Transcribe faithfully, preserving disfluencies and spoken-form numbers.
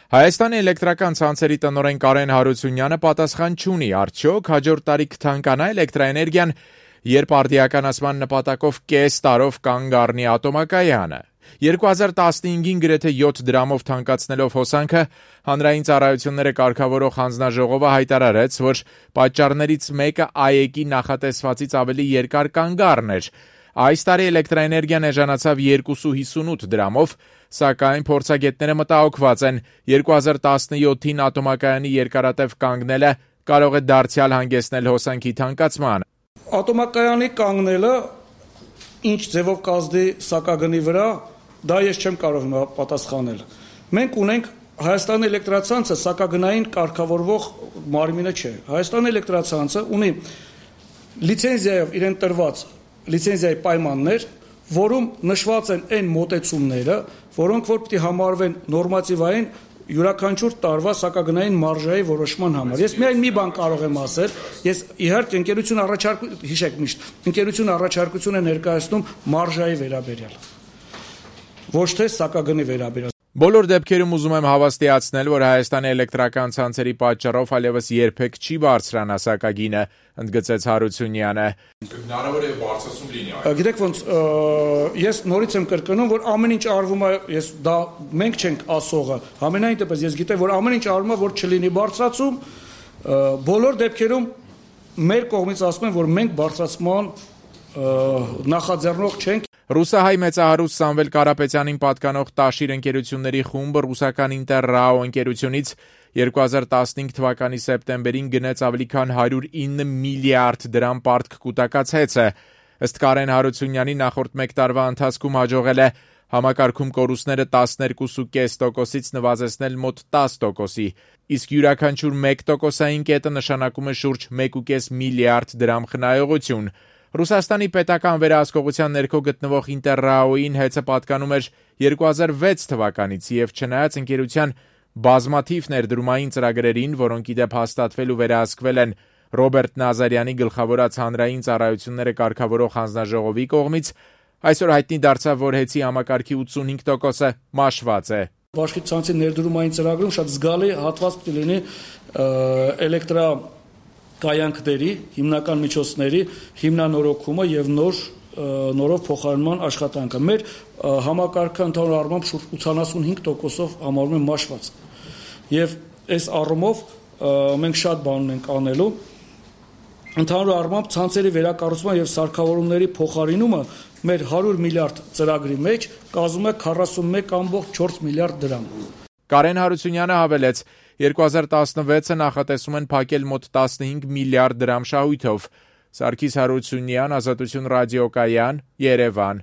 Հայաստանի էլեկտրական ցանցերի տնօրեն Կարեն Հարությունյանը պատասխան չունի, արդյոք հաջորդ տարի կթանկանա էլեկտրաէներգիան, երբ արդիականացման նպատակով կես տարով կանգ առնի ատոմակայանը։ երկու հազար տասնհինգին գրեթե յոթ դրամով թանկացնելով հոսանքը, հանրային ծառայությունները կարգավորող հանձնաժողովը հայտարարեց, որ պատճառներից մեկը ԱԵԿ-ի նախատեսվածից ավելի երկար կանգ առներ։ Այս տարի էլեկտրաէներգիան էժանացավ երկուսը հիսունութ դրամով, սակայն փորձագետները մտահոգված են, երկու հազար տասնյոթին ատոմակայանի երկարատև կանգնելը կարող է դարձյալ հանգեցնել հոսանքի թանկացման։ Ատոմակայանի կանգնելը ինչ ձևով կազդի սակագնի վրա, դա ես չեմ կարող հիմա պատասխանել։ Մենք ունենք Հայաստանի էլեկտրացանցը սակագնային կարգավորվող մարմինը չէ։ Հայաստանի էլեկտրացանցը ունի լիցենզիայով իրեն տրված լիցենզիայի պայմաններ, որում նշված են այն մոտեցումները, որոնք որ պիտի համարվեն նորմատիվային յուրաքանչյուր տարվա սակագնային մարժայի որոշման համար։ Ես միայն մի բան կարող եմ ասել, ես իհարկե ընկերություն առաջարկություն, հիշեք միշտ, ընկերություն առաջարկություն է ներկայացնում մարժայի վերաբերյալ, ոչ թե սակագնի վերաբերյալ։ Բոլոր դեպքերում ուզում եմ հավաստիացնել, որ Հայաստանի էլեկտրական ցանցերի պատճառով այլևս երբեք չի բարձրանա սակագինը, ընդգծեց Հարությունյանը։ Հնարավոր է բարձրացում լինի։ Գիտեք ոնց, ես նորից եմ կրկնում, որ ամեն ինչ արվում է, ես դա մենք չենք ասողը, համենայն դեպս ես գիտեմ, որ ամեն ինչ արվում է, որ չլինի բարձրացում, բոլոր դեպքերում մեր կողմից ասում են, որ մենք բարձրացման նախաձեռնող չենք։ Ռուսահայ մեծահարուստ Սամվել Կարապետյանին պատկանող Տաշիր ընկերությունների խումբը ռուսական Ինտերրաո ընկերությունից երկու հազար տասնհինգ թվականի սեպտեմբերին գնեց ավելի քան հարյուր ինը միլիարդ դրամ պարտք կուտակած հեծը։ Ըստ Կարեն Հարությունյանի նախորդ մեկ տարվա ընթացքում հաջողել է համակարգում կորուստները տասներկու կես տոկոսից նվազեցնել մոտ տասը տոկոսի, իսկ յուրաքանչյուր մեկ տոկոսային կետը նշանակում է շուրջ մեկ ու կես միլիարդ դրամ խնայողություն։ Ռուսաստանի պետական վերահսկողության ներքո գտնվող Ինտերրաոյին հեծը պատկանում էր երկու հազար վեց թվականից եւ չնայած ընկերության բազմաթիվ ներդրումային ծրագրերին, որոնք ի դեպ հաստատվել ու վերահսկվել են Ռոբերտ Նազարյանի գլխավորած հանրային ծառայությունները կարգավորող հանձնաժողովի կողմից, այսօր հայտնի դարձավ, որ հեծի համակարգի ութսունհինգ տոկոսը մաշված է։ Բաշխի ցանցի ներդրումային ծրագրում շատ զգալի հատված պիտի լինի էլեկտրա կայանքների, հիմնական միջոցների հիմնանորոգումը եւ նոր նորով փոխարինման աշխատանքը։ Մեր համակարգը ընդհանուր առմամբ շուրջ ութսունհինգ տոկոսով համարվում է մաշված։ Եվ այս առումով մենք շատ բան ենք անելու։ Ընդհանուր առմամբ ցանցերի վերակառուցման եւ սարքավորումների փոխարինումը մեր հարյուր միլիարդ ծրագրի մեջ կազմում է քառասունմեկ կόμ չորս միլիարդ դրամ։ Կարեն Հարությունյանը հավելեց, երկու հազար տասնվեցը նախատեսում են փակել մոտ տասնհինգ միլիարդ դրամ շահույթով։ Սարգիս Հարությունյան, Ազատություն ռադիոկայան, Երևան։